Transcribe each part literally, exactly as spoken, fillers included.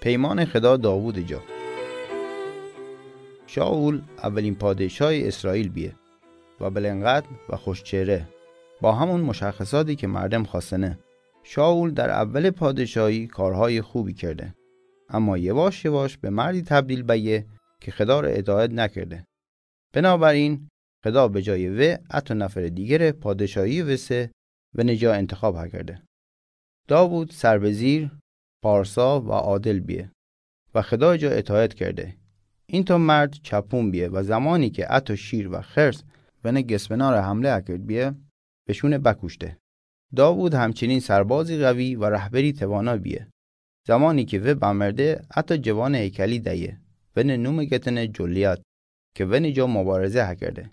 پیمان خدا داوود جا. شائول اولین پادشای اسرائیل بیه و بلنقدر و خوشچهره، با همون مشخصاتی که مردم خواستنه. شائول در اول پادشاهی کارهای خوبی کرده، اما یواش یواش به مردی تبدیل بیه که خدا را اطاعت نکرده. بنابراین خدا به جای وی حتی نفر دیگر پادشاهی وسه ونه جا انتخاب هکرده. داوود سر به زیر، پارسا و عادل بیه و خدا جا اطاعت کرده. این تا مرد چپون بیه و زمانی که حتی شیر و خرس ونه گسپنار حمله هکرد بیه، وشونه بکوشته. داوود همچنین سربازی قوی و رهبری توانا بیه. زمانی که وی بمرده، حتی جوان هیکلی دیه، ونه نوم گتنه جولیات، که ونه جا مبارزه هکرده.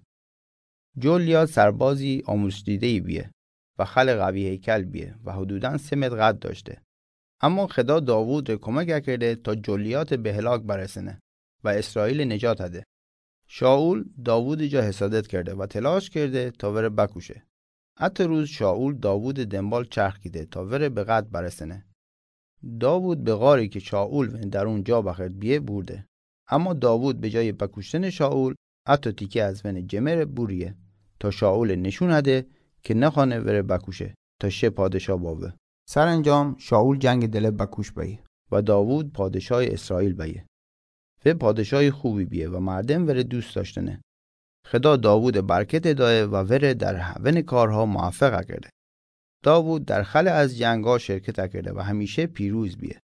جولیات سربازی آموزش دیده‌ای بیه و خل قوی هیکل بیه و حدوداً سه متر قد داشته. اما خدا داوود ره کمک کرده تا جولیات به هلاک برسنه و اسرائیل نجات هده. شائول داوود جا حسادت کرده و تلاش کرده تا وره بکوشه. حتی روز شائول داوود دنبال چرخ کیده تا وره به قتل برسنه. داوود به غاری که شائول ونه در اون جا بخرد بیه بورده. اما داوود به جای بکوشتن شائول، حتی تیکه از ونه جمر بوریه تا شائول نشون هده که نخوانه وره بکوشه تا شه پادشاه باوه. سرانجام شائول جنگ دله بکوش بیه و داوود پادشاه اسرائیل بیه. وی پادشاه خوبی بیه و مردم وره دوست داشتنه. خدا داوود برکت دایه و وره در ونه کارها موفق کرده. داوود در خل از جنگا شرکت کرده و همیشه پیروز بیه.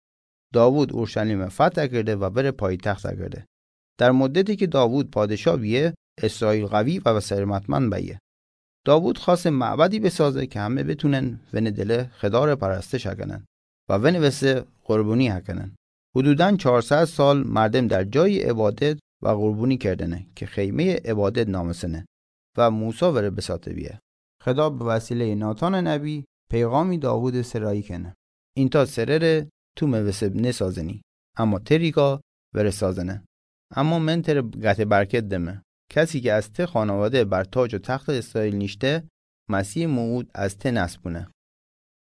داوود اورشلیم فتح کرده و وره پایتخت کرده. در مدتی که داوود پادشاه بیه، اسرائیل قوی و ثروتمند بیه. داوود خواست معبدی بسازه که همه بتونن ونه دل خدا ره پرستش کنن و ونه وسه قربانی کنن. حدوداً چهارصد سال مردم در جای عبادت و قربانی کردنه که خیمهٔ عبادت نامسنه و موسی وره بساته بیه. خدا به وسیلهٔ ناتان نبی پیغامی داوود سرایی کنه. این تا سره ره تو مه وسه نسازنی، اما ته ریکا وره سازنه. اما من تره قطع برکت دمه. کسی که از ته خانواده بر تاج و تخت اسرائیل نیشته، مسیح موعود از ته نسل بونه.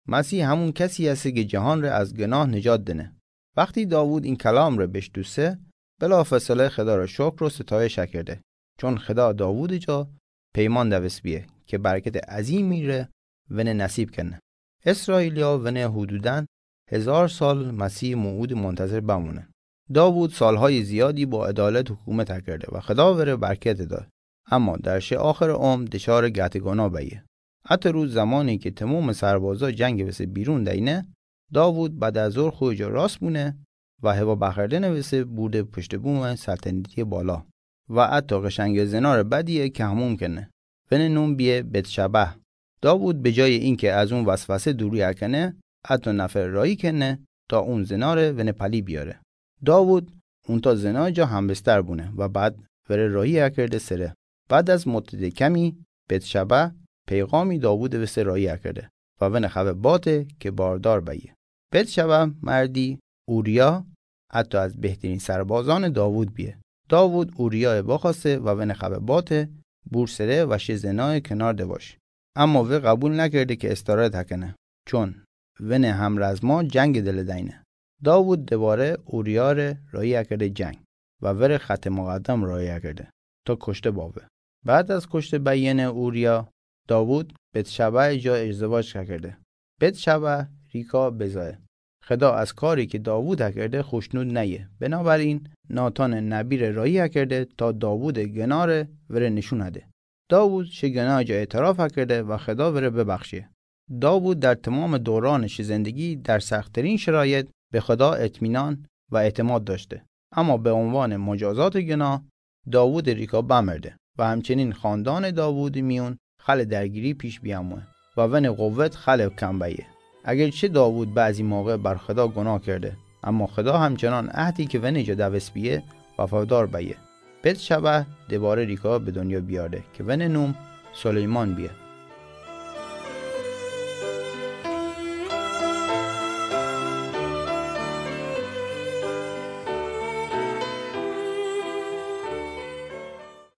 مسیح همون کسی هسته که جهان ره از گناه نجات دنه. وقتی داوود این کلام ره بشنوسه، بلافاصله خدا ره شکر و ستایش کرده، چون خدا داوود جا پیمان دوست بیه که برکت عظیمی ره ونه نصیب کنه. اسرائیلیا ونه حدوداً هزار سال مسیح موعود منتظر بمونه. داوود سالهای زیادی با عدالت حکومت کرده و خدا وره برکت داد. اما در شه آخر عمر دچار قطع گناه بیه. حتی روز زمانی که تمام سربازا جنگ وسه بیرون دینه، داوود بعد از ظهر خو جا راست بونه و هوا بخردن وسه بورده پشت بوم سلطنتی بالا و حتی قشنگ زنار بدیه که حموم کنه. ونه نوم بیه بتشبه. داوود به جای اینکه از اون وسوسه دوری کنه، حتی نفر راهی کنه تا اون زناره ونه پلی بیاره. داوود اون تا زنا جا همبستر بونه و بعد وره راهی کرده سره. بعد از مدت کمی، بتشبه پیغامی داوود وسه راهی کرده و ونه خوه باته که باردار بیه. بتشبه مردی اوریا حتی از بهترین سربازان داوود بیه. داوود اوریا بخواسته و ونه خوه باته بور سره و شه زنای کنار دواش. اما وی قبول نکرده که استراحت کنه، چون ونه همرزما جنگ دل دینه. داوود دوباره اوریا ره راهی کرده جنگ و وره خط مقدم راهی کرده تا کشته باوه. بعد از کشته بیین اوریا، داوود بتشبع جا ازدواج کرده. بتشبع ریکا بزایه. خدا از کاری که داوود کرده خوشنود نیه. بنابراین ناتان نبی ره راهی کرده تا داوود گناه ره وره نشون هده. داوود شه گناه جا اعتراف کرده و خدا وره ببخشه. داوود در تمام دوران شه زندگی در سخت‌ترین شرایط به خدا اطمینان و اعتماد داشته. اما به عنوان مجازات گناه، داوود ریکا بمرده و همچنین خاندان داوود میون خل درگیری پیش بیاموه و ون قوت خل کم بیه. اگرچه داوود بعضی موقع بر خدا گناه کرده، اما خدا همچنان عهدی که ون جا دوست بیه وفادار بیه. بتشبع دوباره ریکا به دنیا بیارده که ون نوم سلیمان بیه.